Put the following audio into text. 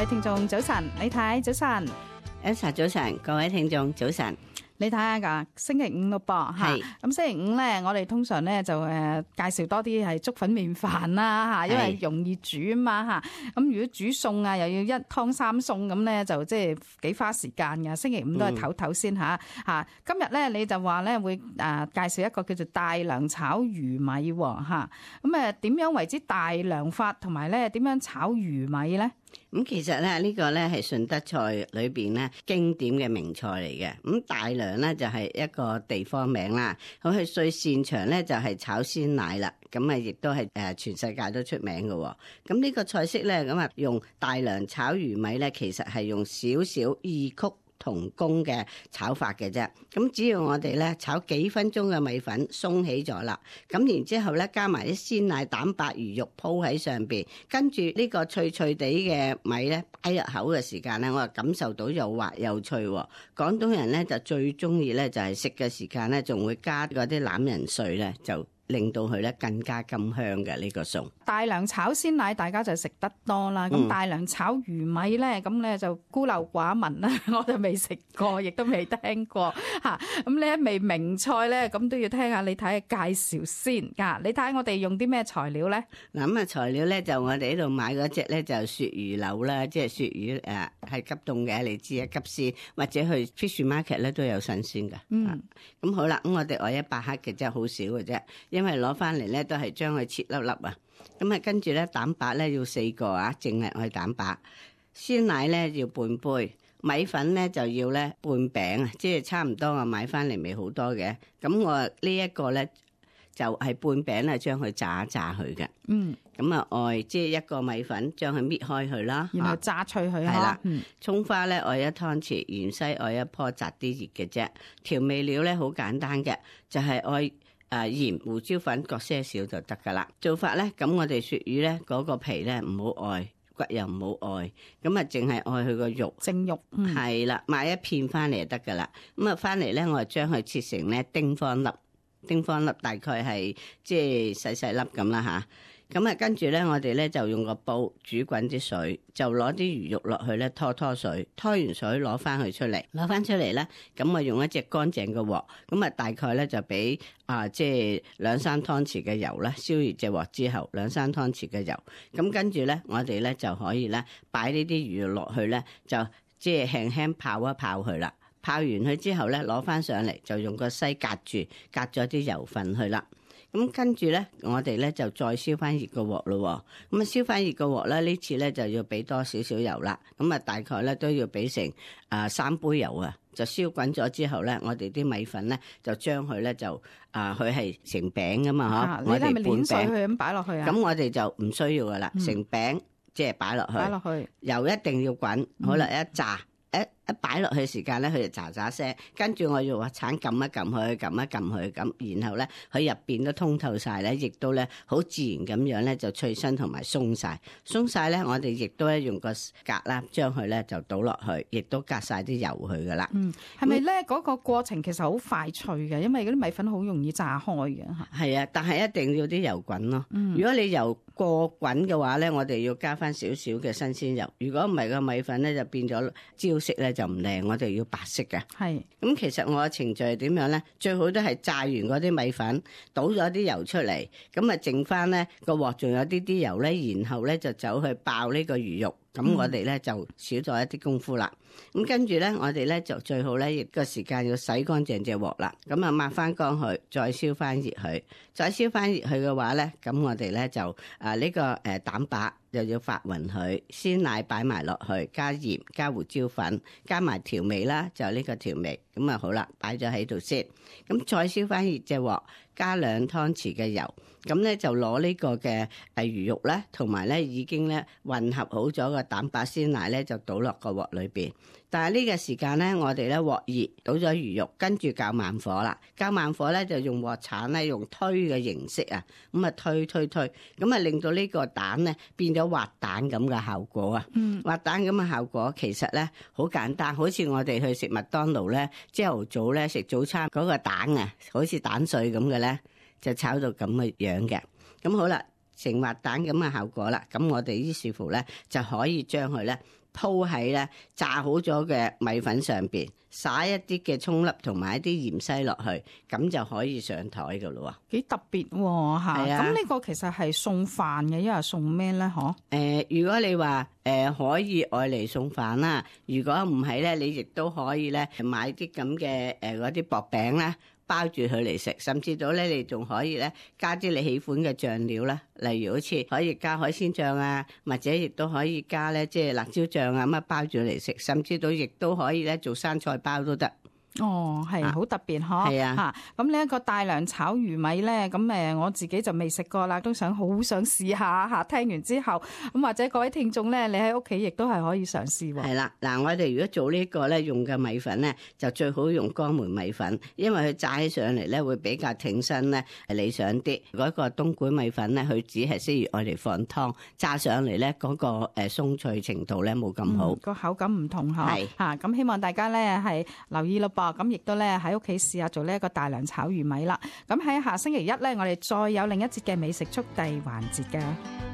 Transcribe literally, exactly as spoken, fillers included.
位聽眾早晨，李太早晨 Elsa 早晨，各位聽眾早晨。你睇下噶，星期五咯噃嚇，咁星期五咧，我哋通常咧就誒介紹多啲係粥粉麵飯啦嚇，因為容易煮啊嘛嚇。咁如果煮餸啊，又要一湯三餸咁咧，就即係幾花時間㗎。星期五都係唞唞先嚇嚇。今日咧你就話咧會誒介紹一個叫做大良炒魚米喎嚇。咁誒點樣為之大良法，同埋咧點樣炒魚米咧？咁其實咧呢個咧係順德菜裏邊咧經典嘅名菜嚟嘅。咁大良咧就係一個地方名啦。咁佢最擅長咧就係炒鮮奶啦。咁啊亦都係誒全世界都出名嘅。咁呢個菜式咧咁啊用大良炒魚米咧，其實係用少少異曲同工嘅炒法嘅啫，咁只要我哋咧炒幾分鐘嘅米粉鬆起咗啦，咁然之後咧加埋啲鮮奶、蛋白、魚肉鋪喺上邊，跟住呢個脆脆地嘅米咧擺入口嘅時間咧，我就感受到又滑又脆。廣東人咧就最中意咧就係食嘅時間咧，仲會加嗰啲欖仁碎咧就。令到佢咧更加甘香嘅呢個餸。大良炒鮮奶大家就食得多啦，咁、嗯、大良炒魚米咧，咁咧就孤陋寡聞啦，我就未食過，亦都未聽過嚇。咁呢一味名菜咧，咁都要聽下你睇下介紹先嚇。你睇下我哋用啲咩材料咧？嗱咁啊材料咧就我哋呢度買嗰隻咧就鱈魚柳啦，即係鱈魚誒係、呃、急凍嘅，你知啊，急鮮或者去 fish market 咧都有新鮮嘅。嗯，咁好啦，咁我哋愛一百克嘅啫，好少嘅啫。因為攞翻嚟咧都係將佢切粒粒啊，咁啊跟住咧蛋白咧要四個啊，淨係愛蛋白。鮮奶咧要半杯，米粉咧就要咧半餅啊，即係差唔多我買翻嚟未好多嘅。咁我呢一個咧就係半餅咧，將佢炸一炸佢嘅。嗯，咁啊愛即係一個米粉，將佢搣開佢啦，然後炸脆佢。係啦，蔥花咧愛一湯匙，芫荽愛一棵，摘啲熱嘅啫。調味料咧好簡單嘅，就係愛。誒鹽、胡椒粉各些少就得噶啦。做法咧，咁我哋鱈魚咧嗰個皮咧唔好愛，骨又唔好愛，咁啊淨係愛佢個肉，蒸肉係啦、嗯，買一片翻嚟就得噶啦。咁啊翻嚟咧，我就將佢切成咧丁方粒，丁方粒大概係即係細細粒咁啦吓。咁啊，跟住咧，我哋咧就用個煲煮滾啲水，就攞啲魚肉落去咧拖拖水，拖完水攞翻佢出嚟，攞翻出嚟咧，咁我用一隻乾淨嘅鑊，咁啊大概咧就俾啊即係兩三湯匙嘅油啦，燒熱隻鑊之後兩三湯匙嘅油，咁跟住咧我哋咧就可以咧擺呢啲魚肉落去咧，就即係輕輕泡一泡佢啦，泡完佢之後咧攞翻上嚟就用個篩隔住，隔咗啲油分去啦。咁跟住咧，我哋咧就再燒翻熱個鑊咯。咁啊，燒翻熱個鑊咧，呢次咧就要俾多少少油啦。咁啊，大概咧都要俾成啊三杯油啊。就燒滾咗之後咧，我哋啲米粉咧就將佢咧就啊，佢係成餅噶嘛，嗬。我哋半餅佢咁擺落去啊。咁我哋就唔需要噶啦，成餅即係擺落去。擺落去，油一定要滾。好啦，一炸。一一擺落去時間咧，佢就喳喳聲，跟住我要話鏟撳一撳佢，撳一撳佢咁，然後咧佢入邊都通透晒咧，亦都咧好自然咁樣咧就脆身同埋鬆晒，鬆晒咧我哋亦都咧用個格啦，將佢咧就倒落去，亦都隔晒啲油去噶啦。嗯，係咪咧嗰個過程其實好快脆嘅？因為嗰啲米粉好容易炸開嘅嚇。係啊，但係一定要啲油滾咯。嗯，如果你油過滾嘅話咧，我哋要加翻少少嘅新鮮油。如果唔係個米粉咧就變咗焦色咧就唔靚，我哋要白色嘅。係咁，其實我嘅程序係點樣咧？最好都係炸完嗰啲米粉，倒咗啲油出嚟，咁啊剩翻咧個鑊仲有啲啲油咧，然後咧就走去爆呢個魚肉。咁我哋咧就少咗一啲功夫啦。咁跟住咧，我哋咧就最好咧，亦個時間要洗乾淨隻鑊啦。咁啊抹翻乾佢，再燒翻熱佢，再燒翻熱佢嘅話咧，咁我哋咧就啊呢個誒蛋白又要發勻佢，鮮奶擺埋落去，加鹽、加胡椒粉，加埋調味啦，就呢個調味。咁啊好啦，擺咗喺度先。咁再燒翻熱隻鑊，加兩湯匙嘅油。咁咧就攞呢個嘅誒魚肉咧，同埋咧已經咧混合好咗個蛋白鮮奶咧，就倒落個鑊裏邊。但係呢個時間咧，我哋咧鑊熱，倒咗魚肉，跟住較慢火啦。較慢火咧就用鑊鏟咧，用推嘅形式啊，咁啊推推推，咁啊令到呢個蛋咧變咗滑蛋咁嘅效果啊。嗯，滑蛋咁嘅效果其實咧好簡單，好似我哋去食麥當勞咧，朝頭早咧食早餐嗰個蛋啊，好似蛋碎咁嘅咧。就炒到咁嘅樣嘅，咁好啦，成滑蛋咁嘅效果啦，咁我哋於是乎咧就可以將佢咧鋪喺咧炸好咗嘅米粉上邊，撒一啲嘅蔥粒同埋一啲芫茜落去，咁就可以上台噶咯喎。幾特別喎嚇！係啊，咁呢個其實係送飯嘅，因為送咩咧？嗬？誒，如果你話誒可以愛嚟送飯啦，如果唔係咧，你亦都可以咧買啲咁嘅誒嗰啲薄餅啦，包住佢嚟食，甚至到咧你仲可以咧加啲你喜歡嘅醬料啦，例如好似可以加海鮮醬啊，或者亦都可以加咧即係辣椒醬啊，咁啊包住嚟食，甚至到亦都可以咧做生菜包都得。哦，係好特別嗬，係啊，嚇咁呢一個大良炒魚米咧，咁誒我自己就未食過啦，都想好想試下嚇。聽完之後，咁或者各位聽眾咧，你喺屋企亦都係可以嘗試喎。係啦，嗱，我哋如果做呢個咧，用嘅米粉咧，就最好用乾梅米粉，因為佢炸起上嚟咧會比較挺身咧，係理想啲。嗰個東莞米粉咧，佢只係適宜愛嚟放湯，炸上嚟咧嗰個誒鬆脆程度咧冇咁好，個口感唔同嚇。係嚇咁希望大家咧係留意咯噃。咁亦都咧喺屋企試下做呢一個大良炒魚米啦。咁喺下星期一咧，我哋再有另一節嘅美食速遞環節㗎。